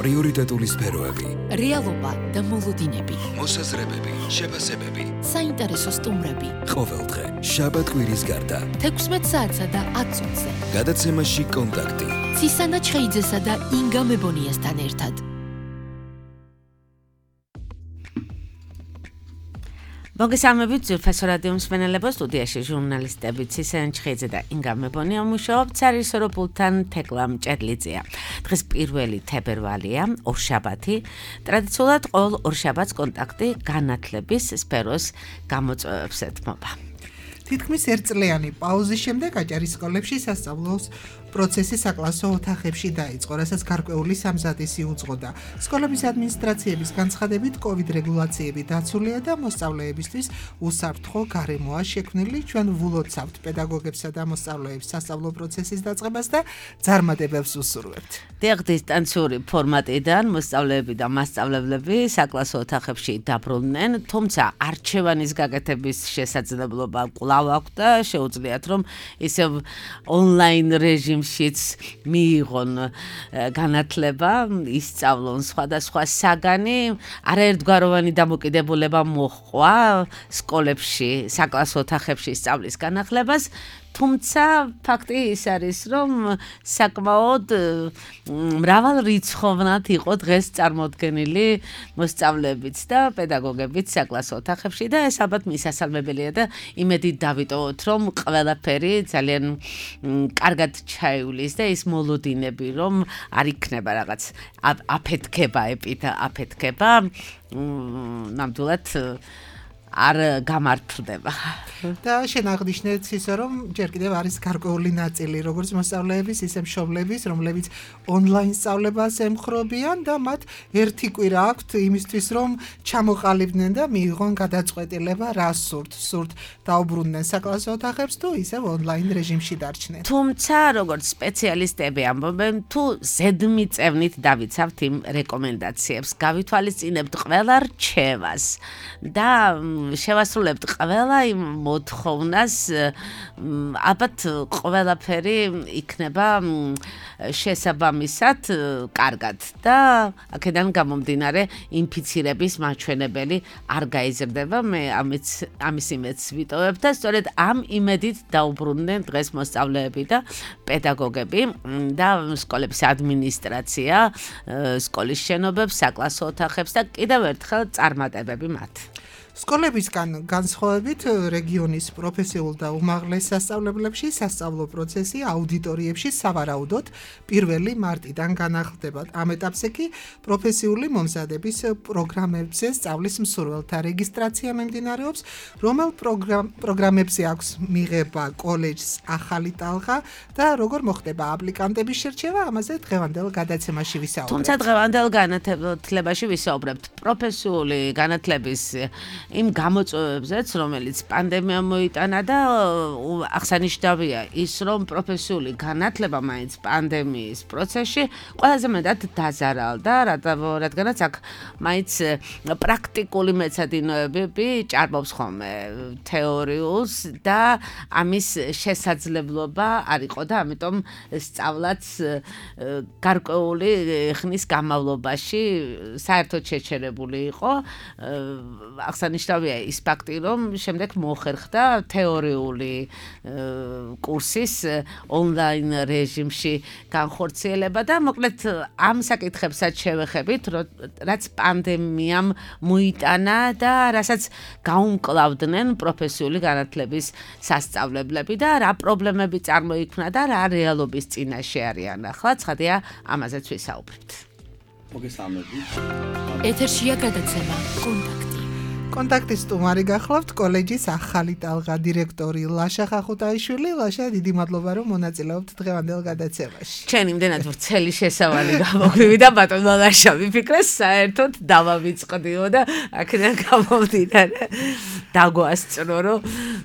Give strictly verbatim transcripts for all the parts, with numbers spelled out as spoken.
პრიორიტეტული სფეროები, რეალობა და მოლოდინები, მოსაზრებები, შეფასებები, საინტერესო სტუმრები. ყოველდღე, შაბათ-კვირის გარდა, თექვსმეტ საათსა და ათ წუთზე. გადაცემაში კონტაქტი. ცისანა ჩხეიძესა და ინგა მებონიასთან ერთად. მოგესალმებით ძვირფასო რადიო მსმენელებო, სტუდიაში ჟურნალისტები ცისანა ჩხეიძე და ინგა მებონია მუშაობთ სარისოროპულთან თეკლამ ჭედლიძეა. დღეს პირველი თებერვალია, ორშაბათი. ტრადიციულად ყოველ ორშაბათს კონტაქტი განათლების სფეროს გამოწვევებს ეთმობა. თითქმის ერთწლიანი პაუზის შემდეგ აჭარის სკოლებში სასწავლოს პროცესი საკლასო ოთახებში დაიწყო, რასაც გარკვეული სამზადისი უძღოდა. სკოლების ადმინისტრაციების განცხადებით, COVID რეგულაციები დაცულია და მოსწავლეებისთვის უსაფრთხო გარემოა შექმნილი. ჩვენ ვულოცავთ პედაგოგებსა და მოსწავლეებს სასწავლო პროცესის დაწყებას და ძარმადებებს უსურვებთ. დიახ, დისტანციური ფორმატიდან მოსწავლეები და მასწავლებლები საკლასო ოთახებში დაბრუნდნენ, თუმცა არჩევანის გაკეთების შესაძლებლობა კვლავ აქვს და შეუძლიათ, რომ ისევ ონლაინ რეჟიმ შიც მიიღონ განათლება, ისწავლონ სხვადასხვა საგანი, არაერთგვაროვანი დამოკიდებულება მოჰყვა სკოლებში, საკლასო ოთახებში სწავლის განახლებას. თუმცა ფაქტი ის არის, რომ საკმაოდ მრავალრიცხოვნად იყო დღეს წარმოდგენილი მოსწავლეებიც და პედაგოგებიც საკლასო ოთახებში და ეს ალბათ მისასალმებელია და იმედით დავიტოვოთ, რომ ყველაფერი ძალიან კარგად ჩაივლის და ის მოლოდინები, რომ არ იქნება რაღაც აფეთქება, ეპიდა აფეთქება, ნამდვილად არ გამართლდება. და შენ აღნიშნეთ ისე, რომ ჯერ კიდევ არის გარკვეული ნაწილი, როგორც მოსწავლეების, ისე მშობლების, რომლებიც ონლაინ სწავლებას ემხრობიან და მათ ერთი კვირა აქვთ იმისთვის, რომ ჩამოყალიბდნენ და მიიღონ გადაწყვეტილება, რა სურთ, სურთ დაუბრუნდნენ საკლასო ოთახებს თუ ისევ ონლაინ რეჟიმში დარჩნენ. თუმცა, როგორც სპეციალისტები ამბობენ, თუ ზედმიწევნით დავიცავთ იმ რეკომენდაციებს, გავითვალისწინებთ ყველა რჩევას და შევასრულებთ ყველა იმ მოთხოვნას, ალბათ ყველაფერი იქნება შესაბამისად კარგად და აქედან გამომდინარე ინფიცირების მაჩვენებელი არ გაიზრდება. მე ამის ამის იმედს ვიტოვებ და სწორედ ამ იმედით დაუბრუნდნენ დღეს მოსწავლეები და პედაგოგები და სკოლების ადმინისტრაცია, სკოლის შენობებს, საკლასო ოთახებს და კიდევ ერთხელ წარმატებები მათ. სკოლებისგან განსხვავებით რეგიონის პროფესიულ და უმაღლეს სასწავლებლებში სასწავლო პროცესი აუდიტორიებში სავარაუდოდ პირველი მარტიდან განახლდება. ამ ეტაპზე კი პროფესიული მომზადების პროგრამებზე სწავლის მსურველთა რეგისტრაცია მიმდინარეობს, რომელ პროგრამებზე აქვს მიღება კოლეჯს ახალი ტალღა და როგორ მოხდება აპლიკანტების შერჩევა, ამაზე დღევანდელ გადაცემაში ვისაუბრებთ. თუმცა დღევანდელ განათლებაში ვისაუბრებთ პროფესიული განათლების იმ გამოწვევებზეც, რომელიც პანდემია მოიტანა და აღსანიშნავია ის, რომ პროფესიული განათლება მაინც პანდემიის პროცესში ყველაზე მეტად დაზარალდა, რადგანაც აქ მაინც პრაქტიკული მეცადინეობები ჭარბობს ხოლმე თეორიულს და ამის შესაძლებლობა არ იყო და ამიტომ სწავლაც გარკვეული ხნის განმავლობაში საერთოდ შეჩერებული იყო. აღსანიშნავია ის ფაქტი, რომ შემდეგ მოხერხდა თეორიული კურსის ონლაინ რეჟიმში განხორციელება და მოკლედ ამ საკითხებსაც შევეხებით, რაც პანდემიამ მოიტანა და რასაც გაუმკლავდნენ პროფესიული განათლების სასწავლებლები და რა პრობლემები წარმოიქმნა და რა რეალობის წინაშე არიან ახლა, ცხადია ამაზეც ვისაუბრებთ. მოგესალმებით. ეთერშია გადაცემა კონტაქტი. კონტაქტის სტუმარი გახლავთ კოლეჯის ახალი ტალღა დირექტორი ლაშა ხახუტაიშვილი. ლაშა, დიდი მადლობა, რომ მონაწილეობთ დღევანდელ გადაცემაში. ჩვენ იმდენად ვრცელი შესავალი გამოგვივიდა და ბატონო ლაშა ვიფიქრე საერთოდ დავავიწყდიო და აქედან გამომდინარე დაგვასწრო, რომ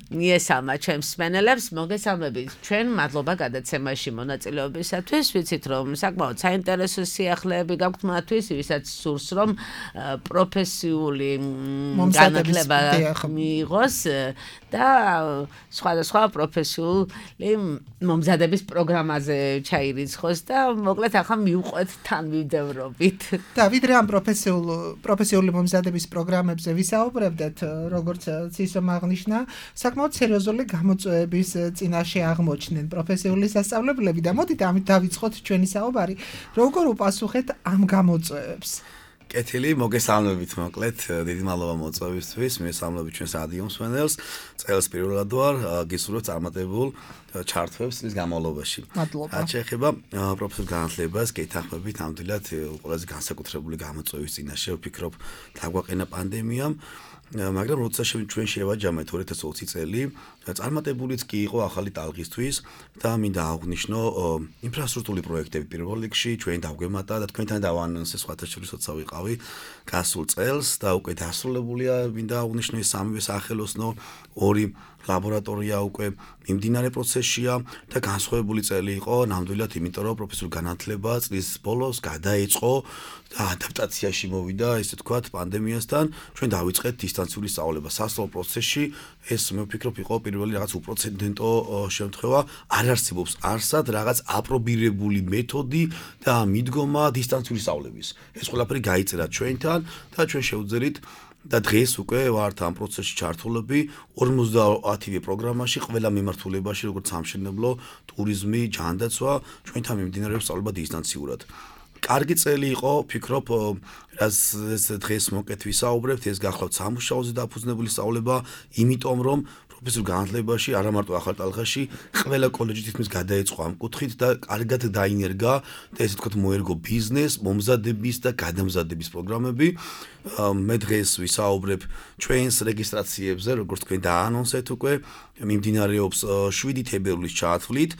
მიესალმა ჩემს მსმენელებს, მოგესალმებით. ჩვენ მადლობა გადაცემაში მონაწილეობისათვის. ვიცით, რომ საკმაოდ საინტერესო სიახლეები გაქვთ მათთვის, ვისაც სურს, რომ პროფესიული განათლება მიიღოს და სხვადასხვა პროფესიული მომზადების პროგრამაზე ჩაირიცხოს და მოკლედ ახლა მივყვეთ თან მივდევრობით. და ვიდრე ამ პროფესიულ პროფესიული მომზადების პროგრამებზე ვისაუბრებდეთ, როგორც ცისომ აღნიშნა, საკმაოდ სერიოზული გამოწვევების წინაშე აღმოჩნდნენ პროფესიული სასწავლებლები და მოდით ამით დავიწყოთ ჩვენი საუბარი, როგორ უპასუხეთ ამ გამოწვევებს. კეთილი, მოგესალმებით მოკლედ, დიდი მადლობა მოწვევისთვის, მესალმებით ჩვენს რადიო მსმენელს. წელს პირველად ვარ, გისურვებთ წარმატებულ ჩართვებს წლის განმავლობაში. მადლობა. რაც შეეხება პროფესიულ განათლებას, გეთანხმებით, ნამდვილად ყველაზე განსაკუთრებული გამოწვევის წინაშე ვფიქრობ, დაგვაყენა პანდემიამ. მაგრამ როცა ჩვენ შევაჯამეთ ორი ათას ოცი წელი, წარმატებულიც კი იყო ახალი ტალღისთვის და მინდა აღვნიშნო ინფრასტრუქტურული პროექტები პირველ რიგში ჩვენ დავგვემატა და თქვენთან დავანონსე სხვათა შორის როცა ვიყავი გასულ წელს და უკვე დასრულებულია მინდა აღვნიშნო ეს სამივე სახელოსნო ორი ლაბორატორია უკვე მიმდინარე პროცესშია და განსხვავებული წელი იყო ნამდვილად იმიტომ რომ პროფესიულ განათლება წლის ბოლოს გადაეწყო და ადაპტაციაში მოვიდა ესე თქვათ პანდემიასთან ჩვენ დავიწყეთ დისტანციური სწავლება სასწავლო პროცესში ეს მე ვფიქრობ იყო პირველი რაღაც უპრეცედენტო შემთხვევა არ არსებობს არსად რაღაც აპრობირებული მეთოდი და მიდგომა დისტანციური სწავლების ეს ყველაფერი გაიწერა ჩვენთან და ჩვენ შევძელით და დღეს უკვე ვართ ამ პროცესში ჩართულები ორმოცდაათივე პროგრამაში ყველა მიმართულებაში როგორც სამშენებლო, ტურიზმი, ჯანდაცვა ჩვენთან მიმდინარეობს სწავლება დისტანციურად. კარგი წელი იყო, ვფიქრობ, რაც ეს დღეს მოკეთ ვისაუბრებთ, ეს გახლავთ სამუშაოზე დაფუძნებული სწავლება, იმიტომ რომ პროფესიულ განათლებაში არა მარტო ახალ ტალღაში ყველა კოლეჯი თითქმის გადაეწყო ამ კუთხით და კარგად დაინერგა და ესე თქვათ მოერგო ბიზნეს, მომზადების და გადამზადების პროგრამები. მე დღეს ვისაუბრებ ჩვენს რეგისტრაციებზე, როგორც თქვენ დაანონსეთ უკვე, მიმდინარეობს შვიდი თებერვლის ჩათვლით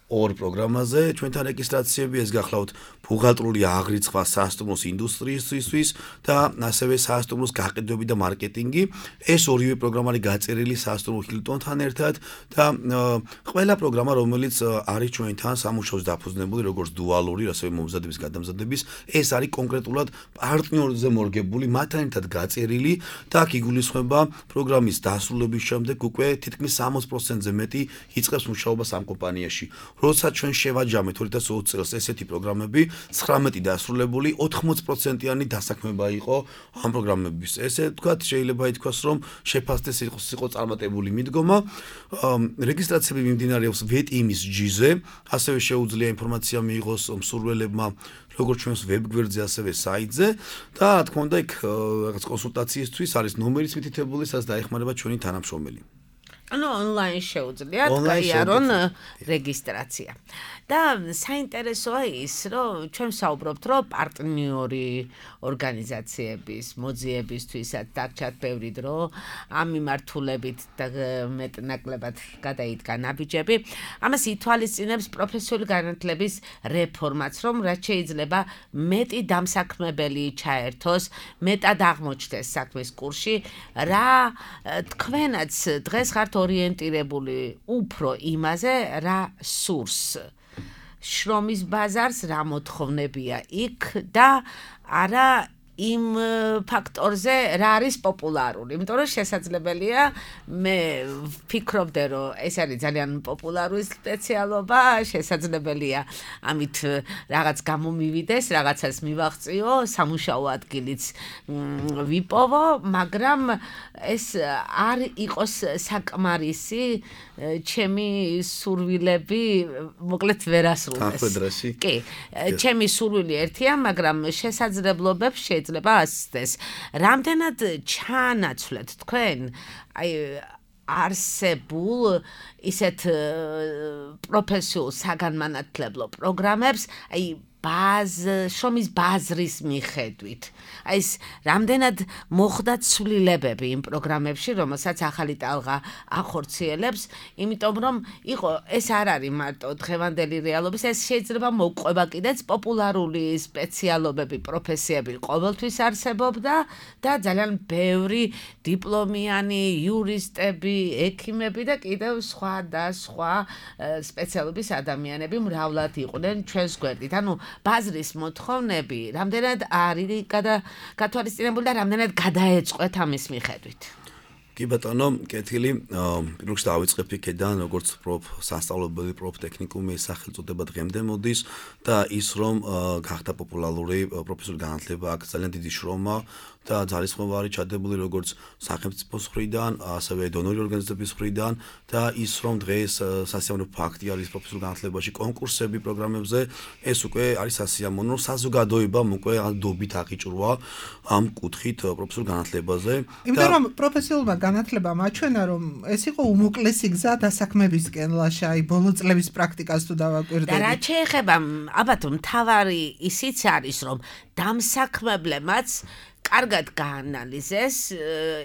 ორ პროგრამაზე ჩვენთან რეგისტრაციები ეს გახლავთ ბუღალტრული აღრიცხვა სასტუმროს ინდუსტრიისთვის და ასევე სასტუმროს გაყიდვები და მარკეტინგი ეს ორივე პროგრამა არის გაწერილი სასტუმრო ჰილტონთან ერთად და ყველა პროგრამა რომელიც არის ჩვენთან სამუშაოზე დაფუძნებული როგორც დუალური ასევე მომზადების გადამზადების ეს არის კონკრეტულად პარტნიორზე მორგებული მათთან ერთად გაწერილი და აქ იგულისხმება პროგრამის დასრულების შემდეგ უკვე თითქმის სამოცი პროცენტზე მეტი იწყებს მუშაობას ამ კომპანიაში როცა ჩვენ შევაჯამეთ ორი ათას ოცი წელს ესეთი პროგრამები ცხრამეტი დასრულებული ოთხმოცი პროცენტიანი დასაქმება იყო ამ პროგრამების. ესე ვთქვათ, შეიძლება ითქვას, რომ შეფასდეს იყოს იყო წარმატებული მიდგომა. რეგისტრაციები მიმდინარეობს ვეტიმის ჯიზე, ასევე შეუძლია ინფორმაცია მიიღოს მსურველებმა როგორც ჩვენს ვებგვერდზე, ასევე საიტზე და რა თქმა უნდა, იქ რაღაც კონსულტაციისთვის არის ნომერიც მითითებული, სადაც დაეხმარება ჩვენი თანამშრომელი. ანუ ონლაინ შეუძლიათ გაიარონ რეგისტრაცია. და საინტერესოა ის, რომ ჩვენ ვსაუბრობთ, რომ პარტნიორი ორგანიზაციების მოძიებისთვისაც დაგჭათ ბევრი დრო, ამ მიმართულებით და მეტნაკლებად გადაიდგა ნაბიჯები. ამას ითვალისწინებს პროფესიული განათლების რეფორმაც, რომ რაც შეიძლება მეტი დამსაქმებელი ჩაერთოს, მეტად აღმოჩნდეს საქმის კურსში, რა თქვენაც დღეს ხართ ორიენტირებული უფრო იმაზე, რა სურს. შრომის ბაზარს რა მოთხოვნებია იქ და არა იმ ფაქტორზე რა არის პოპულარული. იმიტომ რომ შესაძლებელია მე ვფიქრობდე რომ ეს არის ძალიან პოპულარული სპეციალობა, შესაძლებელია ამით რაღაც გამომივიდეს, რაღაცას მივაღწიო, სამუშაო ადგილიც ვიპოვო, მაგრამ ეს არ იყოს საკმარისი ჩემი სურვილები მოკლედ ვერასრულდეს. კი, ჩემი სურვილი ერთია, მაგრამ შესაძლებლობებს შეიძლება ასწდეს. რამდენად ჩაანაცვლეთ თქვენ აი არსებულ ისეთ პროფესიულ საგანმანათლებლო პროგრამებს, აი ბაზ შრომის ბაზრის მიხედვით. აი ეს რამდენად მოხდა ცვლილებები იმ პროგრამებში, რომელსაც ახალი ტალღა ახორციელებს, იმიტომ რომ იყო ეს არ არის მარტო დღევანდელი რეალობის, ეს შეიძლება მოყვება კიდეც პოპულარული სპეციალობები, პროფესიები ყოველთვის არსებობდა და ძალიან ბევრი დიპლომიანი იურისტები, ექიმები და კიდევ სხვა და სხვა სპეციალობის ადამიანები მრავლად იყვნენ ჩვენს გვერდით. ანუ ბაზრის მოთხოვნები რამდენად არის გათვალისწინებული და რამდენად გადაეწყვეთ ამის მიხედვით. კი ბატონო, კეთილი, პირველ რიგში დავიწყებ იქედან, როგორც პროფ სასწავლებელი პროფტექნიკუმი სახელწოდება დღემდე მოდის და ის რომ გახდა პოპულარული პროფესიული განათლება აქ ძალიან დიდი შრომა და ძალისხმევარი ჩადებული როგორც სახელმწიფოს მხრიდან, ასევე დონორი ორგანიზაციების მხრიდან და ის რომ დღეს სასიამოვნო ფაქტი არის პროფესიულ განათლებაში კონკურსები პროგრამებზე, ეს უკვე არის სასიამოვნო, საზოგადოებამ უკვე დობით აღიჭრვა ამ კუთხით პროფესიულ განათლებაზე. იმიტომ რომ პროფესიულმა განათლებამ აჩვენა რომ ეს იყო უმოკლესი გზა დასაქმებისკენ ლაშა, აი ბოლო წლების პრაქტიკას თუ დავაკვირდებით. და რაც შეეხება ალბათ მთავარი ისიც არის რომ დამსაქმებლებმაც კარგად გაანალიზეს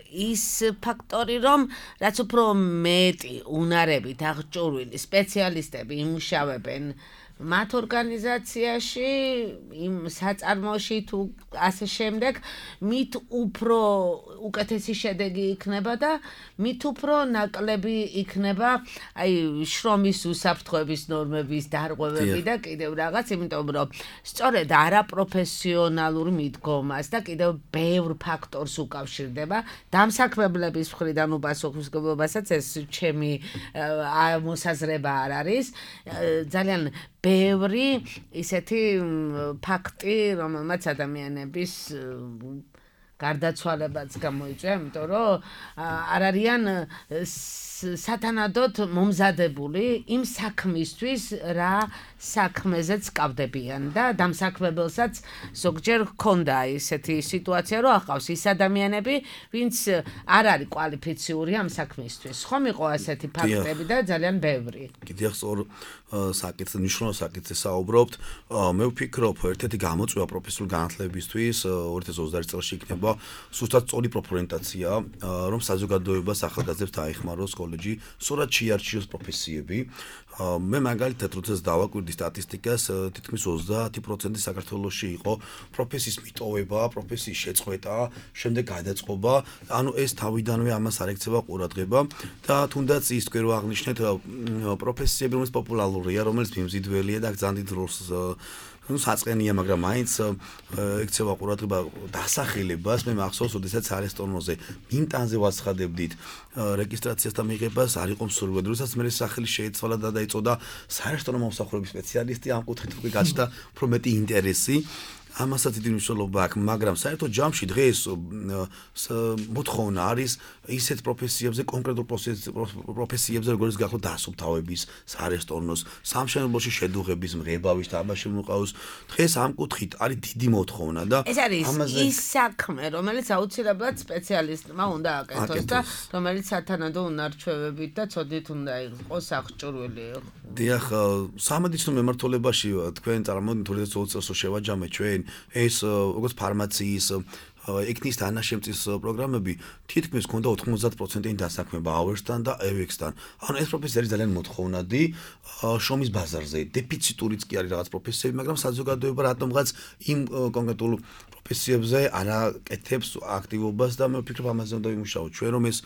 ის ფაქტორი, რომ რაც უფრო მეტი უნარებით აღჭურვილი სპეციალისტები იმუშავებენ მათ ორგანიზაციაში, იმ საწარმოში თუ ასე შემდეგ, მით უფრო უკეთესი შედეგი იქნება და მით უფრო ნაკლები იქნება აი შრომის უსაფრთხოების ნორმების დარღვევები და კიდევ რაღაც, იმიტომ რომ სწორედ არაპროფესიონალურ მიდგომას და კიდევ ბევრ ფაქტორს უკავშირდება დამსაქმებლების მხრიდან უპასუხისმგებლობასაც ეს ჩემი მოსაზრება არ არის. ძალიან ბევრი ისეთი ფაქტი, რომელმაც ადამიანების გარდაცვალებაც გამოიწვია, იმიტომ რომ არ არიან სათანადოდ მომზადებული იმ საქმისთვის, რა საქმეზეც კავდებიან და დამსაქმებელსაც ზოგჯერ ჰქონდა ისეთი სიტუაცია, რომ ახავს ის ადამიანები, ვინც არ არის კვალიფიციური ამ საქმისთვის. ხომ იყო ასეთი ფაქტები და ძალიან ბევრი. კიდევ სწორ საკითხზე, მნიშვნელოვან საკითხზე საუბრობთ. მე ვფიქრობ, ერთ-ერთი გამოწვევა პროფესიულ განათლებისთვის ორი ათას ოცდაერთი წელს იქნება სუსტად სწორი პროფორიენტაცია, რომ საზოგადოებას ახალგაზრდებს დაეხმაროს კოლეჯი, სწორად შეარჩიოს პროფესიები. მე მაგალითად როდესაც დავაკვირდი სტატისტიკას, თითქმის ოცდაათი პროცენტი საქართველოში იყო პროფესიის მიტოვება, პროფესიის შეწყვეტა, შემდეგ გადაწყობა, ანუ ეს თავიდანვე ამას არ ექცევა ყურადღება და თუნდაც ის თქვენ რო აღნიშნეთ პროფესიები, რომელიც პოპულარულია, რომელიც მიმზიდველია და ძალიან დიდ როლს ну საწყენია, მაგრამ მაინც ექცევა ყურადღება დასახელებას. მე მახსოვს, როდესაც არესტონოზე მინტანზე ვაცხადებდით რეგისტრაციას და მიღებას, არ იყო მსურველი, როდესაც მე სახელი შეეცვალა და დაიწოდა საერთო მომსახურების სპეციალისტი, ამ კუთხით უკვე გაჩნდა უფრო მეტი ინტერესი. ამასაც დიდი მნიშვნელობა აქვს, მაგრამ საერთო ჯამში დღეს მოთხოვნა არის ისეთ პროფესიებზე, კონკრეტულ პროფესიებზე, როგორც გახლავთ დასუფთავების, საარესტონოს, სამშენებლოში შედუღების, მღებავის და ამაში მოყავს. დღეს ამ კუთხით არის დიდი მოთხოვნა და ეს არის ის საქმე, რომელიც აუცილებლად სპეციალისტმა უნდა აკეთოს და რომელიც სათანადო უნარჩვევებით და ცოდით უნდა იყოს აღჭურვილი. დიახ, სამედიცინო მემართულებაში თქვენ წარმოვიდგინეთ ორი ათას ოცდაათი წელს შევაჯამეთ ჩვენ ეს როგორც ფარმაციის ექნის თანაშემწის პროგრამები თითქმის ჰქონდა ოთხმოცდაათი პროცენტიანი დასაქმება ავერსთან და ევექსთან. ანუ ეს პროფესია არის ძალიან მოთხოვნადი შრომის ბაზარზე. დეფიციტურიც კი არის რაღაც პროფესიები, მაგრამ საზოგადოება რატომღაც იმ კონკრეტულ პროფესიებზე არ აკეთებს აქტივობას და მე ვფიქრობ ამაზე უნდა ვიმუშაოთ ჩვენ, რომ ეს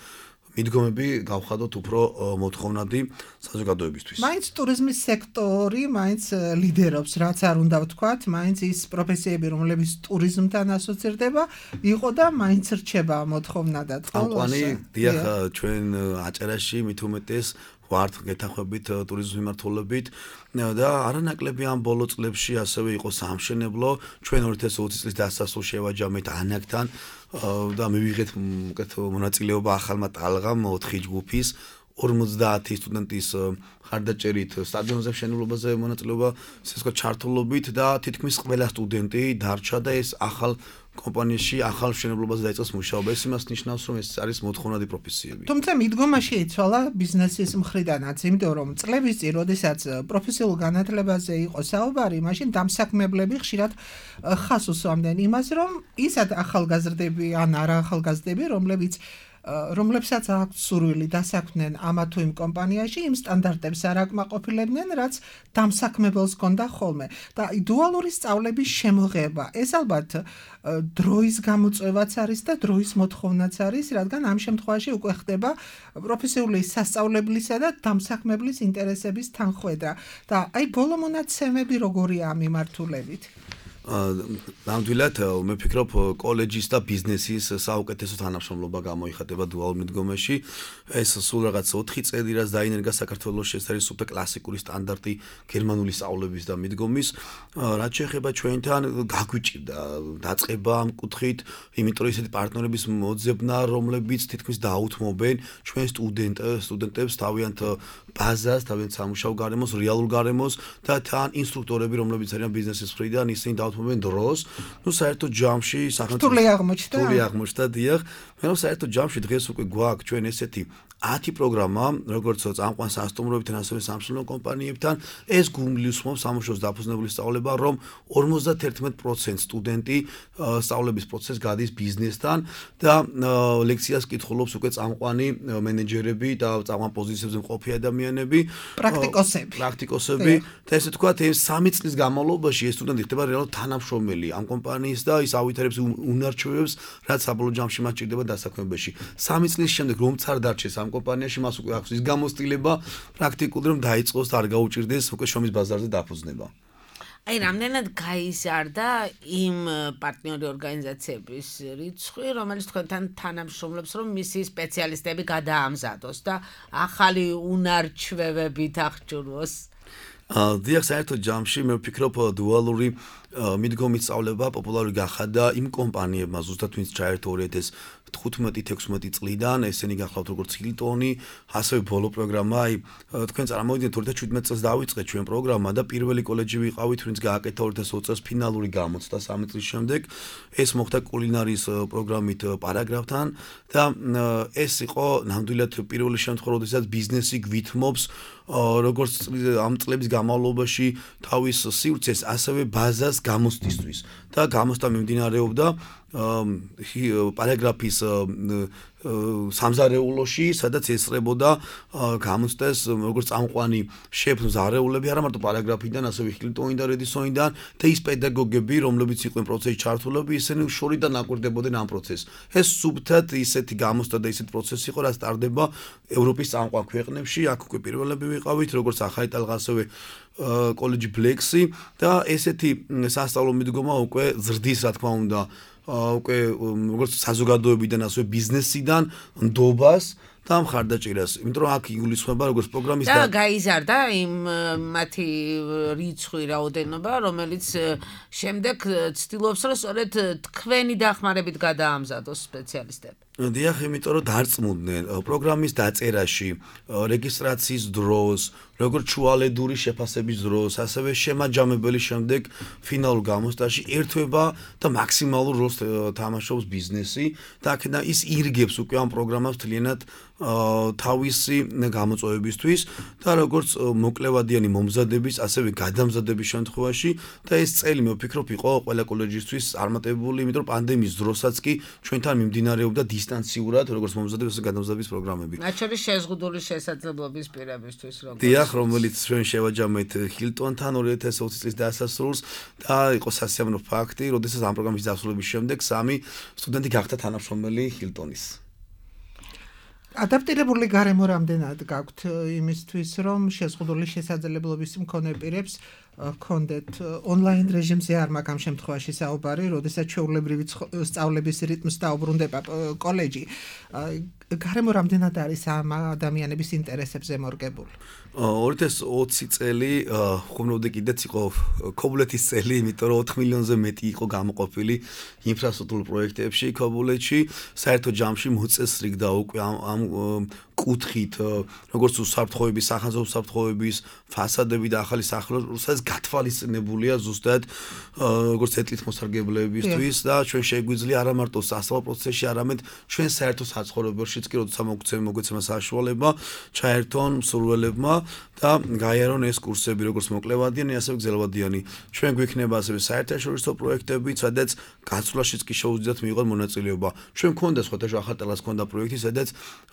მიდგომები გავხადოთ უფრო მოთხოვნადი საზოგადოებისთვის. მაინც ტურიზმის სექტორი მაინც ლიდერობს, რაც არ უნდა ვთქვათ, მაინც ის პროფესიები, რომლებიც ტურიზმთან ასოცირდება, იყო და მაინც რჩება მოთხოვნადად. ამყვანი, დიახ, ჩვენ აჭარაში მით უმეტეს ვართ გეთანხმებით ტურიზმის მიმართულებით და არანაკლები ამ ბოლო წლებში ასევე იყო სამშენებლო. ჩვენ ორი ათას ოცი წლის დასასრულს შევაჯამეთ ანაკთან და მივიღეთ მონაწილეობა ახალმა ტალღამ ოთხი ჯგუფის. ორმოცდაათი სტუდენტის ხარდაჭერით სტადიონზე მშენებლობაზე მონაწილეობა, ესე ვთქვათ, ჩართულობით და თითქმის ყველა სტუდენტი დარჩა და ეს ახალ კომპანიაში ახალ მშენებლობაზე დაიწყეს მუშაობა. ეს იმას ნიშნავს, რომ ეს არის მოთხოვნადი პროფესიები. თუმცა მიდგომაში იცვალა ბიზნესის მხრიდანაც, იმიტომ რომ წლების წინ, როდესაც პროფესიულ განათლებაზე იყო საუბარი, მაშინ დამსაქმებლები ხშირად ხას უსვამდნენ იმას, რომ ისად ახალგაზრდები ან არა ახალგაზრდები, რომლებიც რომლებსაც აქვს სურვილი დასაქმდნენ ამა თუ იმ კომპანიაში, იმ სტანდარტებს არ აკმაყოფილებდნენ, რაც დამსაქმებელს ჰქონდა ხოლმე. და დუალური სწავლების შემოღება, ეს ალბათ დროის გამოწვევაც არის და დროის მოთხოვნაც არის, რადგან ამ შემთხვევაში უკვე ხდება პროფესიული სასწავლებლისა და დამსაქმებლის ინტერესების თანხვედრა. და აი ბოლო მონაცემები როგორია ამ მიმართულებით? ნამდვილად მე ვფიქრობ კოლეჯის და ბიზნესის საუკეთესო თანამშრომლობა გამოიხატება დუალურ მიდგომაში. ეს სულ რაღაც ოთხი წელი რაც დაინერგა საქართველოში, ეს არის სუპერ კლასიკური სტანდარტი გერმანული სწავლების და მიდგომის. რაც შეეხება ჩვენთან გაგვიჭირდა დაწყება ამ კუთხით, იმიტომ რომ ისეთი პარტნიორების მოძებნა, რომლებიც თითქმის დაუთმობენ ჩვენ სტუდენტ სტუდენტებს თავიანთ ბაზას, თავიანთ სამუშაო გარემოს, რეალურ გარემოს და თან ინსტრუქტორები, რომლებიც არიან ბიზნესის მხრიდან, ისინი დაუთმობენ დროს. ნუ საერთოდ ჯამში სახელმწიფო რთული აღმოჩნდა. რთული აღმოჩნდა, დიახ. მე რომ საერთოდ ჯამში დღეს უკვე გვაქვს ჩვენ ესეთი ათი პროგრამა, როგორც წამყვან სასტუმროებთან, ასევე სამშენებლო კომპანიებთან, ეს გულისხმობს სამუშაოს დაფუძნებული სწავლება, რომ ორმოცდაერთი პროცენტი სტუდენტი სწავლების პროცესს გადის ბიზნესთან და ლექციას კითხულობს უკვე წამყვანი მენეჯერები და წამყვან პოზიციებზე მყოფი ადამიანები, პრაქტიკოსები. პრაქტიკოსები და ესე ვთქვათ, ეს სამი წლის განმავლობაში ეს სტუდენტი ხდება რეალურად თანამშრომელი ამ კომპანიის და ის ავითარებს უნარჩვევებს, რაც საბოლოო ჯამში მას ჭირდება დასაქმებაში. სამი წლის შემდეგ რომც არ დარჩეს ამ კომპანიაში, მას უკვე აქვს ის გამოცდილება პრაქტიკულად, რომ დაიწყოს და არ გაუჭირდეს უკვე შრომის ბაზარზე დაფუძნება. აი, რამდენად გაიზარდა იმ პარტნიორი ორგანიზაციების რიცხვი, რომელიც თქვენთან თანამშრომლობს, რომ მისი სპეციალისტები გადაამზადოს და ახალი უნარჩვევებით აღჭურვოს? დიახ, საერთოდ ჯამში მე ვფიქრობ დუალური მიდგომის სწავლება პოპულარული გახადა იმ კომპანიებმა, ზუსტად ვინც ჩაერთო ორი ათას თხუთმეტი თექვსმეტი წლიდან, ესენი გახლავთ როგორც ჰილტონი, ასევე ბოლო პროგრამა, აი თქვენ წარმოვიდგინეთ ორი ათას შვიდმეტი წელს დავიწყეთ ჩვენ პროგრამა და პირველი კოლეჯი ვიყავით, ვინც გააკეთა ორი ათას ოცი წელს ფინალური გამოცდა სამი წლის შემდეგ. ეს მოხდა კულინარიის პროგრამით პარაგრაფთან და ეს იყო ნამდვილად პირველი შემთხვევა, როდესაც ბიზნესი გვითმობს როგორც ამ წლების განმავლობაში თავის სივრცეს, ასევე ბაზას გამოცდისთვის და გამოცდა მიმდინარეობდა პარაგრაფის სამზარეულოში, სადაც ესწრებოდა გამოცდას როგორც წამყვანი შეფს ზარეულები, არა მარტო პარაგრაფიდან, ასევე ჰილტონიდან, რედისონიდან და ის პედაგოგები, რომლებიც იყვნენ პროცესში ჩართულები, ისინი შორიდან აკვირდებოდნენ ამ პროცესს. ეს სუბთად ისეთი გამოცდა და ისეთი პროცესი იყო, რაც ტარდება ევროპის წამყვან ქვეყნებში, აქ უკვე პირველები ვიყავით, როგორც ახალი ტალღა, ასევე კოლეჯი ბლექსი და ესეთი სასწავლო მიდგომა უკვე ზრდის, რა თქმა უნდა, უკვე როგორც საზოგადოებიდან, ასევე ბიზნესიდან ნდობას და მხარდაჭერას, იმიტომ რომ აქ იგულისხმება როგორც პროგრამის და გაიზარდა იმ მათი რიცხვი, რაოდენობა, რომელიც შემდეგ ცდილობს, რომ სწორედ თქვენი დახმარებით გადაამზადოს სპეციალისტები. დიახ, იმიტომ რომ დარწმუნდნენ პროგრამის დაწერაში, რეგისტრაციის დროს, როგორც შუალედური შეფასების დროს, ასევე შემაჯამებელი შემდეგ ფინალურ გამოცდაში ერთვება და მაქსიმალურ როლს თამაშობს ბიზნესი და აქედან ის ირგებს უკვე ამ პროგრამას მთლიანად თავისი გამოწვევებისთვის და როგორც მოკლევადიანი მომზადების, ასევე გადამზადების შემთხვევაში და ეს წელი მე ვფიქრობ იყო ყველა კოლეჯისთვის წარმატებული, იმიტომ რომ პანდემიის დროსაც კი ჩვენთან მიმდინარეობდა დისტანციურად, როგორც მომზადების და გადამზადების პროგრამები. მათ შორის შეზღუდული შესაძლებლობის პირებისთვის, როგორც დიახ, რომელიც ჩვენ შევაჯამეთ ჰილტონთან ორი ათას ოცი წლის დასასრულს და იყო სასიამოვნო ფაქტი, როდესაც ამ პროგრამის დასრულების შემდეგ სამი სტუდენტი გახდა თანამშრომელი ჰილტონის. ადაპტირებული გარემო რამდენად გაქვთ იმისთვის, რომ შეზღუდული შესაძლებლობის მქონე პირებს ჰქონდეთ ონლაინ რეჟიმზე არ მაქვს ამ შემთხვევაში საუბარი, როდესაც ჩვეულებრივი სწავლების რიტმს დაუბრუნდება კოლეჯი. გარემო რამდენად არის ამ ადამიანების ინტერესებზე მორგებული? ორი ათას ოცი წელი ხუმრობდი კიდეც იყო ქობულეთის წელი, იმიტომ რომ ოთხ მილიონზე მეტი იყო გამოყოფილი ინფრასტრუქტურულ პროექტებში ქობულეთში. საერთო ჯამში მოწესრიგდა უკვე ამ კუთხით, როგორც უსაფრთხოების, სახანძრო უსაფრთხოების ფასადები და ახალი სახელმწიფო, სადაც გათვალისწინებულია ზუსტად როგორც ეთლით მოსარგებლეებისთვის და ჩვენ შეგვიძლია არა მარტო სასწავლო პროცესში, არამედ ჩვენ საერთო საცხოვრებელშიც კი როცა მოგვეცემა საშუალება ჩაერთონ მსურველებმა და გაიარონ ეს კურსები, როგორც მოკლევადიანი, ასევე გრძელვადიანი. ჩვენ გვექნება ასევე საერთაშორისო პროექტები, სადაც გაცვლაშიც კი შეუძლიათ მიიღონ მონაწილეობა. ჩვენ გვქონდა სხვადასხვა ახალტელას ქონდა პროექტი, სადაც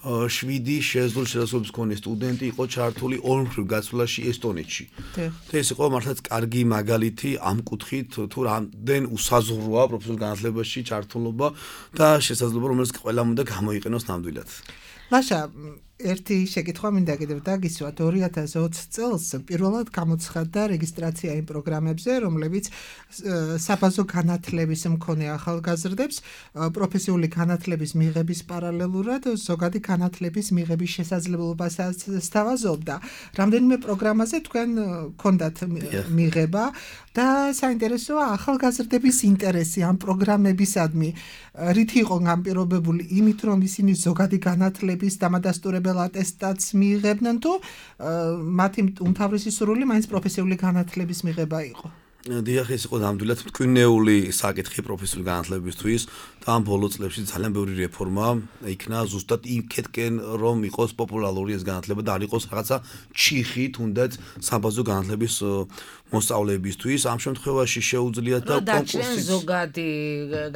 შვიდი შესაძლებელი შესაძლებლობის მქონე სტუდენტი იყო ჩართული ორმხრივ გაცვლაში ესტონეთში. და ეს იყო მართლაც კარგი მაგალითი ამ კუთხით, თუ რამდენ უსაზღვროა პროფესიულ განათლებაში ჩართულობა და შესაძლებლობა, რომელიც ყველამ უნდა გამოიყენოს ნამდვილად. ლაშა, ერთი შეკითხვა მინდა კიდევ დაგისვათ. ორი ათას ოცი წელს პირველად გამოცხადდა რეგისტრაცია იმ პროგრამებზე, რომლებიც საბაზო განათლების მქონე ახალგაზრდებს პროფესიული განათლების მიღების პარალელურად ზოგადი განათლების მიღების შესაძლებლობასაც სთავაზობდა. რამდენიმე პროგრამაზე თქვენ გქონდათ მიღება და საინტერესოა ახალგაზრდების ინტერესი ამ პროგრამებისადმი რით იყო განპირობებული, იმით რომ ისინი ზოგადი განათლების დამადასტურებელ ატესტატს მიიღებდნენ თუ მათი უმთავრესი სურვილი მაინც პროფესიული განათლების მიღება იყო? დიახ, ეს იყო ნამდვილად მტკივნეული საკითხი პროფესიული განათლებისთვის და ამ ბოლო წლებში ძალიან ბევრი რეფორმა იქნა ზუსტად იქეთკენ, რომ იყოს პოპულარული ეს განათლება და არ იყოს რაღაცა ჩიხი თუნდაც საბაზო განათლების მოსწავლეებისთვის. ამ შემთხვევაში შეუძლიათ და კონკურსი ზოგადი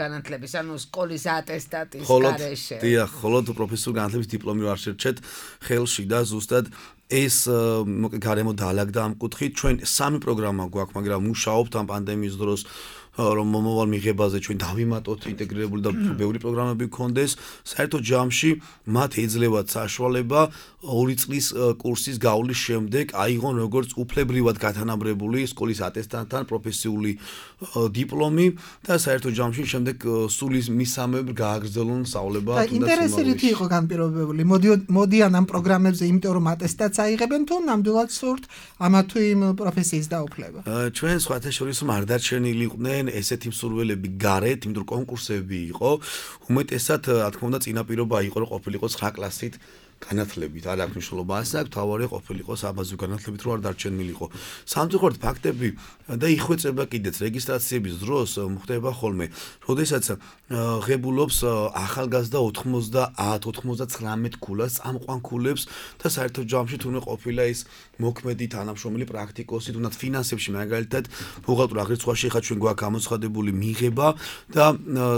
განათლების, ანუ სკოლის ატესტატის გარეშე. დიახ, ხოლო პროფესიული განათლების დიპლომი არ შერჩეთ ხელში და ზუსტად ეს გარემო დაალაგდა ამ კუთხით. ჩვენ სამი პროგრამა გვაქვს, მაგრამ მუშაობთ ამ პანდემიის დროს რომ მომავალ მიღებაზე ჩვენ დავიმატოთ ინტეგრირებული და ბევრი პროგრამები გქონდეს. საერთო ჯამში მათ ეძლევათ საშუალება ორი წლის კურსის გავლის შემდეგ აიღონ როგორც უფლებრივად გათანაბრებული სკოლის ატესტატთან პროფესიული დიპლომი და საერთო ჯამში შემდეგ სულის მისამებრ გააგრძელონ სწავლება. ინტერესი რითი იყო განპირობებული? მოდიან ამ პროგრამებზე, იმიტომ რომ ატესტატს აიღებენ თუ ნამდვილად სურთ ამა თუ იმ პროფესიის დაუფლება? ჩვენ სხვათა შორის არ დარჩენილი იყვნენ ესეთი მსურველები გარეთ, იმიტომ რომ კონკურსები იყო, უმეტესად, რა თქმა უნდა, წინაპირობა იყო, რომ ყოფილიყო ცხრა კლასით განათლებით, არ აქვს მნიშვნელობა ასე, აქ თავარი ყოფილიყო საბაზო განათლებით, რომ არ დარჩენილიყო. სამწუხაროდ ფაქტები და იხვეწება კიდეც რეგისტრაციების დროს ხდება ხოლმე, როდესაც ღებულობს ახალგაზრდა ოთხმოცდაათ ოცდათრამეტ ქულას წამყვან ქულებს და საერთო ჯამში თუნდაც ყოფილა ის მოქმედი თანამშრომელი პრაქტიკოსი, თუნდაც ფინანსებში მაგალითად ბუღალტურ აღრიცხვაში ხა ჩვენ გვაქვს გამოცხადებული მიღება და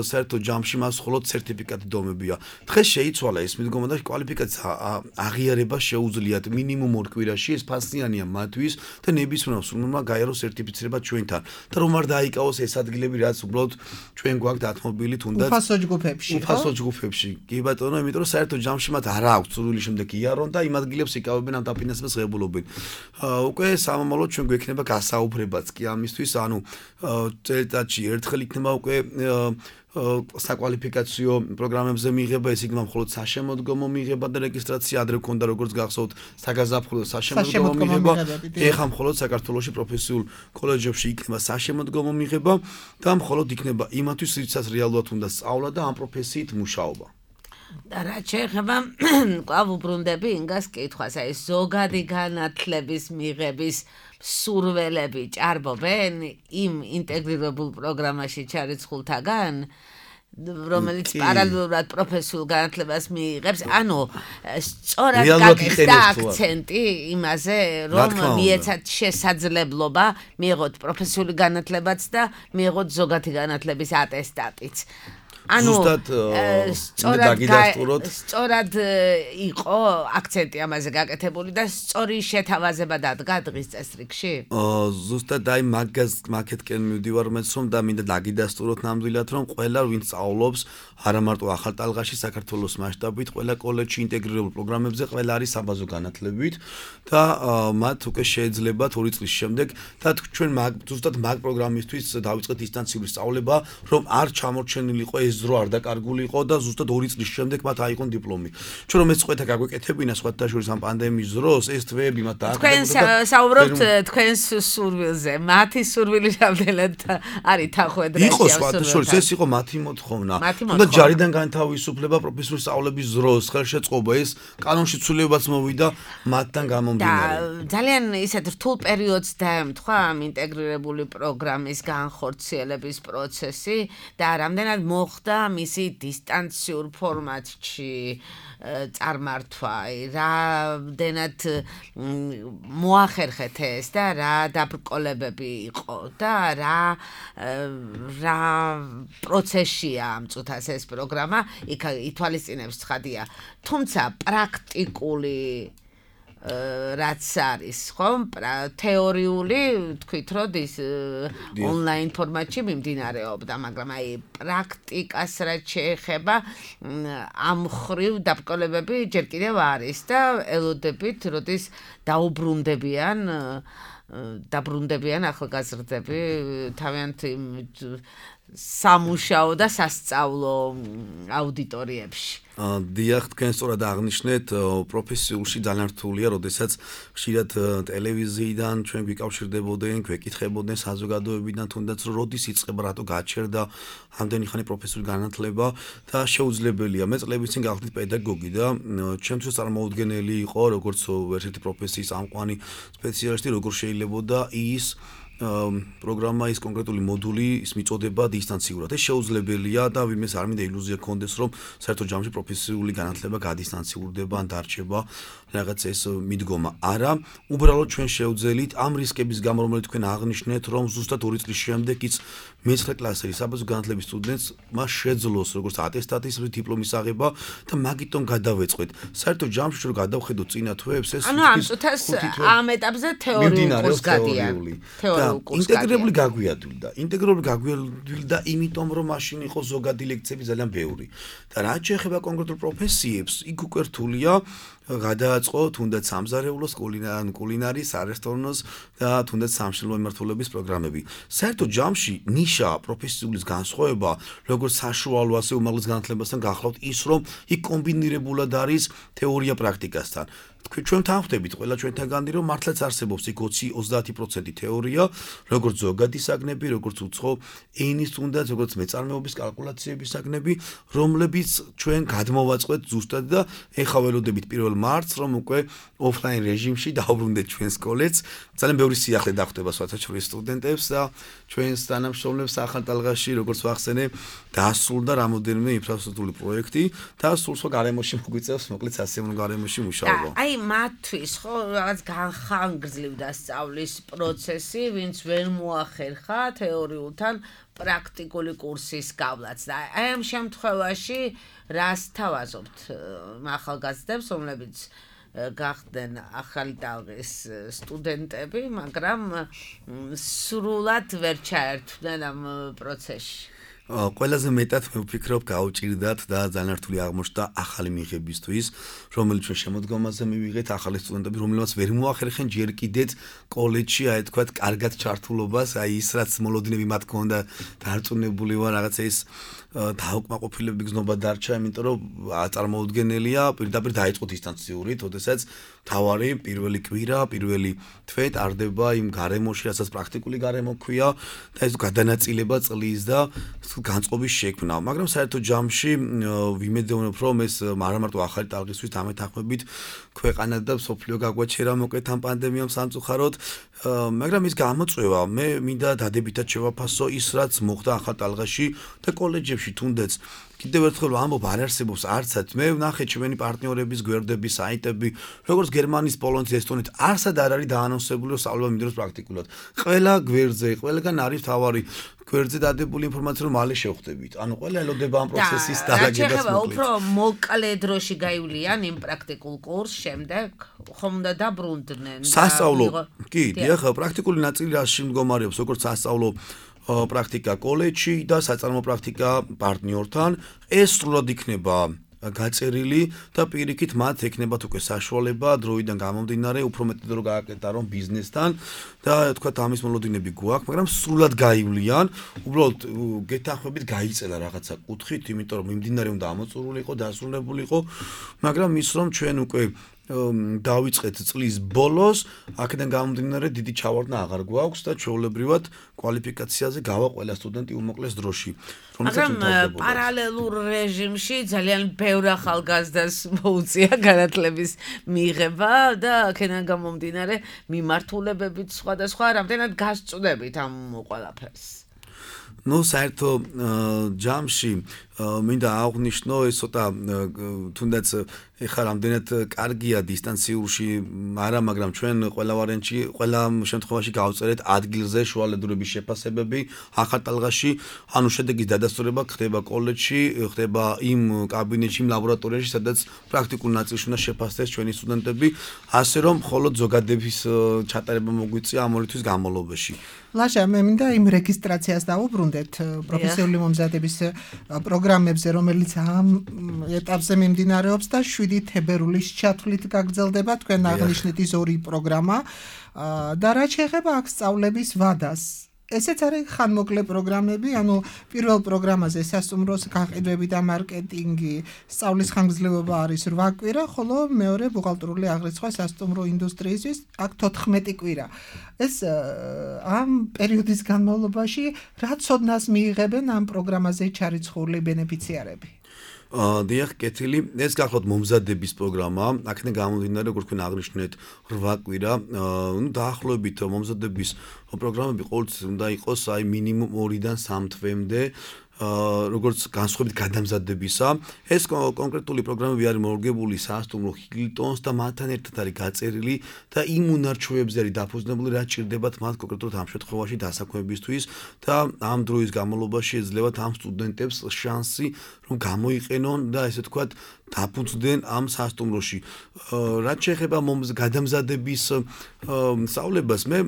საერთო ჯამში მას მხოლოდ სერტიფიკატი დომებია. დღეს შეიცვალა ეს მიდგომა და კვალიფიკაცია აღიარება შეუძლიათ მინიმუმ ორ კვირაში, ეს ფასიანია მათთვის და ნებისმიერმა სრულმა გაიაროს სერტიფიცირება ჩვენთან და რომ არ დაიკავოს ეს ადგილები, რაც უბრალოდ ჩვენ გვაქვს დათმობილი თუნდაც უფასო ჯგუფებში. უფასო ჯგუფებში. კი ბატონო, იმიტომ რომ საერთო ჯამში მათ არ აქვს სრული შემდეგ იარონ და იმ ადგილებს იკავებენ ამ დაფინანსებას ღებულობენ. უკვე სამომავლოდ ჩვენ გვექნება გასაუბრებაც კი ამისთვის, ანუ წელიწადში ერთხელ იქნება უკვე საკვალიფიკაციო პროგრამებზე მიღება, ეს იქნება მხოლოდ საშემოდგომო მიღება და რეგისტრაცია, ადრე გქონდა როგორც გახსოვთ საგაზაფხულო საშემოდგომო მიღება, ეხლა მხოლოდ საქართველოში პროფესიულ კოლეჯებში იქნება საშემოდგომო მიღება და მხოლოდ იქნება იმათვის, რითაც რეალურად უნდა სწავლა და ამ პროფესიით მუშაობა. და რაც შეეხება კვლავ უბრუნდები ინგას კითხვას, აი ზოგადი განათლების მიღების სურველები ჭარბობენ იმ ინტეგრირებულ პროგრამაში ჩარიცხულთაგან, რომელიც პარალელურად პროფესიულ განათლებას მიიღებს, ანუ სწორად გაკეთდა აქცენტი იმაზე, რომ მიეცათ შესაძლებლობა მიიღოთ პროფესიული განათლებაც და მიიღოთ ზოგადი განათლების ატესტატიც. ანუ სწორად სწორად იყო აქცენტი ამაზე გაკეთებული და სწორი შეთავაზება დადგა დღის წესრიგში? ზუსტად აი მაგას მაგეთკენ მივდივარ მეც რომ და მინდა დაგიდასტუროთ ნამდვილად რომ ყველა ვინც სწავლობს არა მარტო ახალტალღაში საქართველოს მასშტაბით, ყველა კოლეჯში ინტეგრირებულ პროგრამებზე ყველა არის საბაზო განათლებით და მათ უკვე შეეძლებათ ორი წლის შემდეგ და ჩვენ ზუსტად მაგ პროგრამისთვის დავიწყეთ დისტანციური სწავლება, რომ არ ჩამორჩენილიყო ეს ზრო არ დაკარგული იყო და ზუსტად ორი წლის შემდეგ მათ აიღონ დიპლომი. ჩვენ რომ ეს წვეთა გაგვეკეთებინა სხვათა შორის ამ პანდემიის დროს, ეს თვეები მათ თქვენ დააკარგებოდა. საუბრობთ თქვენს სურვილზე, მათი სურვილი რამდენად არის თანხმედრაში. იყო სხვათა შორის, ეს იყო მათი მოთხოვნა. და ჯარიდან განთავისუფლება პროფესიული სწავლების დროს, ხელშეწყობა, ეს კანონში ცვლილებაც მოვიდა მათთან გამომდინარე. და ძალიან ისეთ რთულ პერიოდს დაემთხვა ამ ინტეგრირებული პროგრამის განხორციელების პროცესი და რამდენად მოხდა მისი დისტანციურ ფორმატში წარმართვა, რამდენად მოახერხეთ ეს და რა დაბრკოლებები იყო და რა რა პროცესია ამ წუთას ეს პროგრამა, იქ ითვალისწინებს ცხადია. თუმცა პრაქტიკული რაც არის, ხომ? თეორიული თქვით, რომ ის ონლაინ ფორმატში მიმდინარეობდა, მაგრამ აი პრაქტიკას რაც შეეხება, ამ ხრივ დაბრკოლებები ჯერ კიდევ არის და ელოდებით, როდის დაუბრუნდებიან დაბრუნდებიან ახალგაზრდები თავიანთი სამუშაო და სასწავლო აუდიტორიებში. დიახ, თქვენ სწორად აღნიშნეთ, პროფესიულში ძალიან რთულია, როდესაც ხშირად ტელევიზიიდან ჩვენ გვიკავშირდებოდნენ, გვეკითხებოდნენ საზოგადოებიდან, თუნდაც რომ როდის იწყება, რატო გაჩერდა ამდენი ხანი პროფესიული განათლება და შეუძლებელია. მე წლების წინ გავხდით პედაგოგი და ჩემთვის წარმოუდგენელი იყო, როგორც ერთ-ერთი პროფესიის ამყვანი სპეციალისტი, როგორ შეიძლებოდა ის პროგრამა, ის კონკრეტული მოდული, ის მიწოდება დისტანციურად. ეს შეუძლებელია და ვინმეს არ მინდა ილუზია კონდეს, რომ საერთო ჯამში პროფესიული განათლება გადისტანციურდება ან დარჩება რაღაც ეს მიდგომა. არა, უბრალოდ ჩვენ შევძელით ამ რისკების გამო, რომელიც თქვენ აღნიშნეთ, რომ ზუსტად ორი წლის შემდეგ ის მეცხრე კლასელი საბაზრო განათლების სტუდენტს მას შეძლოს როგორც ატესტატის დიპლომის აღება და მაგიტომ გადავეწყვეთ. საერთო ჯამში რომ გადავხედოთ წინა თვეებს, ეს ანუ ამ წუთას ამ ეტაპზე თეორიული კურსი გადიან. თეორიული კურსი ინტეგრირებული გაგვიადვილდა. ინტეგრირებული გაგვიადვილდა იმიტომ, რომ მაშინ იყო ზოგადი ლექციები ძალიან ბევრი. და რაც შეეხება კონკრეტულ პროფესიებს, იქ უკვე რთულია გადააწყო თუნდაც სამზარეულოს, კულინარის, არესტორნოს და თუნდაც სამშენებლო მიმართულების პროგრამები. საერთო ჯამში ნიშა პროფესიულის განსხვავება, როგორც საშუალო ასე უმაღლეს განათლებასთან გახლავთ ის, რომ იქ კომბინირებულად არის თეორია პრაქტიკასთან. თქვენ ჩვენ თანხმდებით ყველა ჩვენთანგანი, რომ მართლაც არსებობს იქ ოცი ოცდაათი პროცენტი თეორია, როგორც ზოგადი საგნები, როგორც უცხო ენის თუნდაც, როგორც მეწარმეობის კალკულაციების საგნები, რომლებიც ჩვენ გადმოვაწყვეთ ზუსტად და ეხა ველოდებით პირველ მარტს, რომ უკვე ოფლაინ რეჟიმში დაუბრუნდეთ ჩვენ სკოლებს. ძალიან ბევრი სიახლე დახვდება სხვათაშორის სტუდენტებს და ჩვენს თანამშრომლებს ახალ ტალღაში, როგორც ვახსენე, დასრულდა რამოდენიმე ინფრასტრუქტურული პროექტი და სულ სხვა გარემოში მოგვიწევს, მოკლედ სასიამოვნო გარემოში მუშაობა. აი მათთვის ხო რაღაც განხანგრძლივდა სწავლის პროცესი, ვინც ვერ მოახერხა თეორიულთან პრაქტიკული კურსის გავლაც და აი ამ შემთხვევაში რას თავაზობთ ახალგაზრდებს, რომლებიც გახდნენ ახალი ტალღის სტუდენტები, მაგრამ სრულად ვერ ჩაერთვდნენ ამ პროცესში. ყველაზე მეტად მე ვფიქრობ გაუჭირდათ და ძალიან რთული აღმოჩნდა ახალი მიღებისთვის, რომელიც ჩვენ შემოდგომაზე მივიღეთ ახალი სტუდენტები, რომელსაც ვერ მოახერხენ ჯერ კიდეც კოლეჯში, აი თქვათ, კარგად ჩართულობას, აი ის რაც მოლოდინები მათ ქონდა დარწმუნებული ვარ, რაღაცა ის დაუკმაყოფილების გზნობა დარჩა, იმიტომ რომ წარმოუდგენელია, პირდაპირ დაიწყო დისტანციური, თორემაც თავარი პირველი კვირა, პირველი თვე ტარდება იმ გარემოში, რასაც პრაქტიკული გარემო ქვია და ეს გადანაწილება წლის და განწყობის შექმნა, მაგრამ საერთო ჯამში ვიმედოვნებ, რომ ეს არა მარტო ახალი ტალღისთვის დამეთანხმებით ქვეყანა და სოფლიო გაგვაჩერა მოკლედ ამ პანდემიამ სამწუხაროდ, მაგრამ ის გამოწვევა მე მინდა დადებითად შევაფასო ის რაც მოხდა ახალ ტალღაში და კოლეჯებში თუნდაც კიდევ ერთხელ ამბობ არ არსებობს არცად მე ვნახე ჩვენი პარტნიორების გვერდები, საიტები, როგორც გერმანიის, პოლონეთის, ესტონეთის არსად არ არის დაანონსებული რომ სწავლება მინდოროს პრაქტიკულად. ყველა გვერდზე, ყველგან არის თავარი გვერდზე დადებული ინფორმაცია რომ მალე შევხვდებით. ანუ ყველა ელოდება ამ პროცესის დარაგებას მოკლედ. უფრო მოკლე დროში გაივლიან იმ პრაქტიკულ კურსს, შემდეგ ხომ უნდა დაბრუნდნენ. სასწავლო, კი, დიახ, პრაქტიკული ნაწილი რაში მდგომარეობს, როგორც სასწავლო პრაქტიკა კოლეჯში და საწარმო პრაქტიკა პარტნიორთან, ეს სრულად იქნება გაწერილი და პირიქით მათ ექნებათ უკვე საშუალება დროიდან გამომდინარე უფრო მეტად რო გააკეთებენ ბიზნესთან და თქვა ამის მოლოდინები გვაქვს, მაგრამ სრულად გაივლიან, უბრალოდ გეთანხმებით გაიწელა რაღაცა კუთხით, იმიტომ რომ მიმდინარე უნდა ამოწურულიყო, დასრულებულიყო, მაგრამ ის რომ ჩვენ უკვე დავიწყეთ წლის ბოლოს, აქედან გამომდინარე დიდი ჩავარდნა აღარ გვაქვს და ჩვეულებრივად კვალიფიკაციაზე გავა ყველა სტუდენტი უმოკლეს დროში. მაგრამ პარალელურ რეჟიმში ძალიან ბევრ ახალგაზრდას მოუწია განათლების მიღება და აქედან გამომდინარე მიმართულებებით სხვადასხვა რამდენად გასწვდებით ამ ყველაფერს. ნუ საერთო ჯამში მინდა აღვნიშნო ეს ცოტა თუნდაც ეხლა რამდენად კარგია დისტანციურში არა მაგრამ ჩვენ ყველა ვარიანტში ყველა შემთხვევაში გავწერეთ ადგილზე შუალედურების შეფასებები ახალ ტალღაში ანუ შედეგის დადასტურება ხდება კოლეჯში ხდება იმ კაბინეტში იმ ლაბორატორიაში სადაც პრაქტიკულ ნაწილში უნდა შეფასდეს ჩვენი სტუდენტები ასე რომ მხოლოდ ზოგადების ჩატარება მოგვიწია ამ ორი თვის განმავლობაში ლაშა მე მინდა იმ რეგისტრაციას დავუბრუნდეთ პროფესიული მომზადების პროგრამებზე რომელიც ამ ეტაპზე მიმდინარეობს და შვიდი თებერვლის ჩათვლით გაგრძელდება თქვენ აღნიშნეთ ის ორი პროგრამა და რაც შეეხება აქ სწავლების ვადას ესეც არის ხანმოკლე პროგრამები, ანუ პირველ პროგრამაზე სასტუმროს გაყიდვები და მარკეტინგი, სწავლის ხანგრძლივობა არის რვა კვირა, ხოლო მეორე ბუღალტრული აღრიცხვა სასტუმრო ინდუსტრიისთვის აქ თოთხმეტი კვირა. ეს ამ პერიოდის განმავლობაში რა ცოდნას მიიღებენ ამ პროგრამაზე ჩარიცხული ბენეფიციარები? დიახ, კეთილი, ეს გახლავთ მომზადების პროგრამა, აქედან გამომდინარე, როგორც თქვენ აღნიშნეთ, რვა კვირა, ნუ დაახლოებით მომზადების პროგრამები ყოველთვის უნდა იყოს აი მინიმუმ ორიდან სამ თვემდე. როგორც განსხვავებით გადამზადებისა, ეს კონკრეტული პროგრამები არის მორგებული სასტუმრო ჰილტონს და მათთან ერთად არის გაწერილი და იმ უნარჩვევებზე არის დაფუძნებული, რაც ჭირდებათ მათ კონკრეტულად ამ შემთხვევაში დასაქმებისთვის და ამ დროის განმავლობაში ეძლებათ ამ სტუდენტებს შანსი, რომ გამოიყენონ და ესე ვთქვათ, დაფუძნდნენ ამ სასტუმროში. რაც შეეხება გადამზადების სწავლებას, მე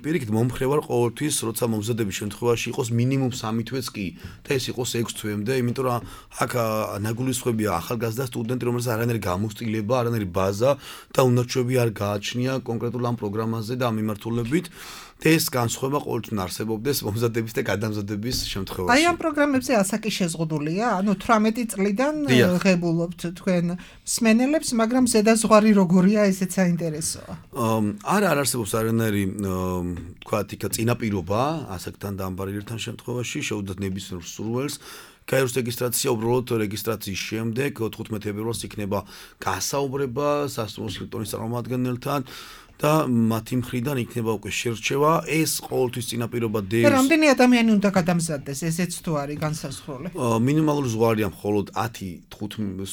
პირიქით მომხრე ვარ ყოველთვის, როცა მომზადების შემთხვევაში იყოს მინიმუმ სამი თვეც კი და ეს იყოს ექვს თვემდე, იმიტომ რომ აქ ნაგულისხმებია ახალგაზრდა სტუდენტი, რომელსაც არანაირი გამოცდილება, არანაირი ბაზა და უნარჩვევები არ გააჩნია კონკრეტულ ამ პროგრამაზე და ამ მიმართულებით. და ეს განსხვავება ყოველთვის არსებობდეს მომზადების და გადამზადების შემთხვევაში. აი ამ პროგრამებზე ასაკი შეზღუდულია, ანუ თვრამეტი წლიდან ღებულობთ თქვენ მსმენელებს, მაგრამ ზედაზღვარი როგორია, ესეც საინტერესოა. არა, არ არსებობს არანაირი თქვათ იქა წინაპირობა ასაკთან დამბარიერთან შემთხვევაში, შეუძლიათ ნებისმიერ სურვილს. გაიოს რეგისტრაცია უბრალოდ რეგისტრაციის შემდეგ თხუთმეტი თებერვალს იქნება გასაუბრება სასტუმრო ჰილტონის წარმომადგენელთან და მათი მხრიდან იქნება უკვე შერჩევა ეს ყოველთვის წინაპირობა დევს. რამდენი ადამიანი უნდა გადამზადდეს, ესეც თუ არის განსაზღვრული? მინიმალური ზღვარია მხოლოდ ათი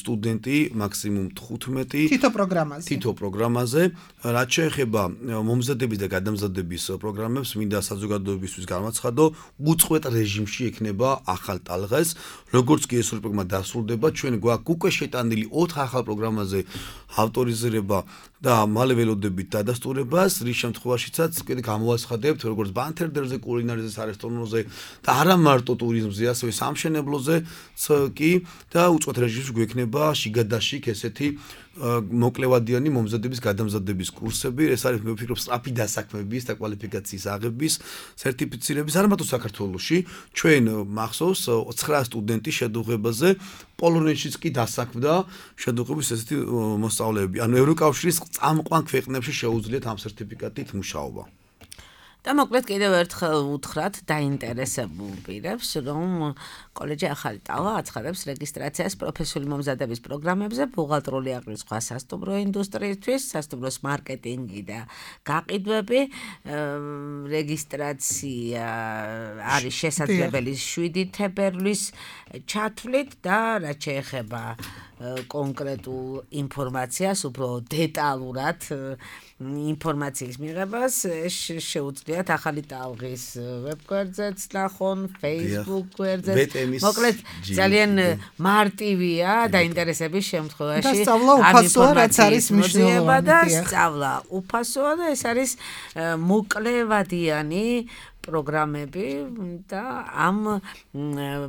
სტუდენტი, მაქსიმუმ თხუთმეტი. თითო პროგრამაზე. თითო პროგრამაზე. რაც შეეხება მომზადების და გადამზადების პროგრამებს, მინდა საზოგადოებისთვის გამაცხადო, უწყვეტ რეჟიმში ექნება ახალ ტალღას. როგორც კი ეს პროგრამა დასრულდება, ჩვენ გვაქვს უკვე შეტანილი ოთხ ახალ პროგრამაზე ავტორიზირება და მალე ველოდებით დადასტურებას, რის შემთხვევაშიცაც კიდე გამოვაცხადებთ, როგორც ბანთერდერზე, კულინარიაზე, სარესტორნოზე და არა მარტო ტურიზმზე, ასევე სამშენებლოზე კი და უწყვეტ რეჟიმში გვექნება შიგადაშიგ ესეთი მოკლევადიანი მომზადების გადამზადების კურსები, ეს არის მე ვფიქრობ სწრაფი დასაქმების და კვალიფიკაციის აღების სერტიფიცირების არ მარტო საქართველოში, ჩვენ მახსოვს ცხრა სტუდენტი შედუღებაზე პოლონეთშიც კი დასაქმდა შედუღების ესეთი მოსწავლეები. ანუ ევროკავშირის წამყვან ქვეყნებში შეუძლიათ ამ სერტიფიკატით მუშაობა. და მოკლედ კიდევ ერთხელ უთხრათ დაინტერესებულ პირებს, რომ კოლეჯი ახალი ტალღა აცხადებს რეგისტრაციას პროფესიული მომზადების პროგრამებზე, ბუღალტრული აღრიცხვა სასტუმრო ინდუსტრიისთვის, სასტუმროს მარკეტინგი და გაყიდვები, რეგისტრაცია არის შესაძლებელი შვიდი თებერვლის ჩათვლით და რაც შეეხება კონკრეტულ ინფორმაციას, უფრო დეტალურად ინფორმაციის მიღებას შეუძლიათ ახალი ტალღის ვებგვერდზეც ნახონ, Facebook გვერდზეც. მოკლედ ძალიან მარტივია დაინტერესების შემთხვევაში ამ ინფორმაციის მოძიება და სწავლა უფასოა და ეს არის მოკლევადიანი პროგრამები და ამ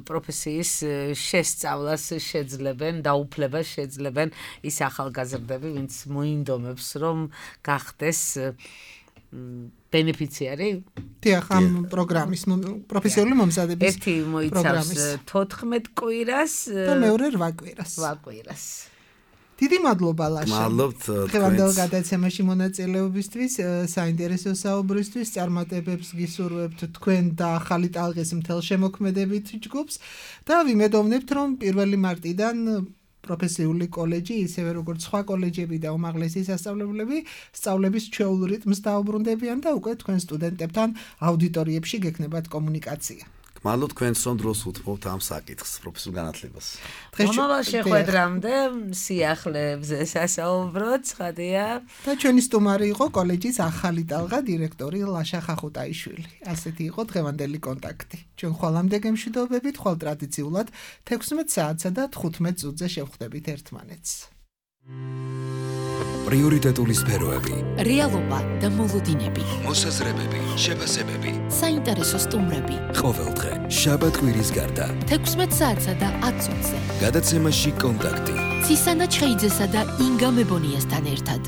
პროფესიის შესწავლას შეძლებენ, დაუფლებას შეძლებენ ის ახალგაზრდები, ვინც მოინდომებს, რომ გახდეს ბენეფიციარი. დიახ, ამ პროგრამის პროფესიული მომზადების ერთი მოიცავს თოთხმეტ კვირას და მეორე რვა კვირას. რვა კვირას. დიდი მადლობა ლაშა. მადლობთ დღევანდელ გადაცემაში მონაწილეობისთვის, საინტერესო საუბრისთვის, წარმატებებს გისურვებთ თქვენ და ახალი ტალღის მთელ შემოქმედებით ჯგუფს და ვიმედოვნებთ, რომ პირველი მარტიდან პროფესიული კოლეჯი, ისევე როგორც სხვა კოლეჯები და უმაღლესი სასწავლებლები, სწავლების ჩვეულ რიტმს დაუბრუნდებიან და უკვე თქვენ სტუდენტებთან აუდიტორიებში გექნებათ კომუნიკაცია. მადლობთ თქვენს რომ დროს უთმობთ ამ საკითხს, პროფესიულ განათლებას. მომავალ შეხვედრამდე სიახლეებზე სასაუბროთ, ცხადია. და ჩვენი სტუმარი იყო კოლეჯის ახალი ტალღა დირექტორი ლაშა ხახუტაიშვილი. ასეთი იყო დღევანდელი კონტაქტი. ჩვენ ხვალამდე გემშვიდობებით, ხვალ ტრადიციულად თექვსმეტ საათსა და თხუთმეტ წუთზე შევხვდებით ერთმანეთს. პრიორიტეტული სფეროები, რეალობა და მოლოდინები, მოსაზრებები, შეფასებები. საინტერესო სტუმრები. ყოველდღე შაბათ კვირის გარდა. თექვსმეტ საათსა და ათ წუთზე. გადაცემაში კონტაქტი. ცისანა ჩხეიძესა და ინგა მებონიასთან ერთად.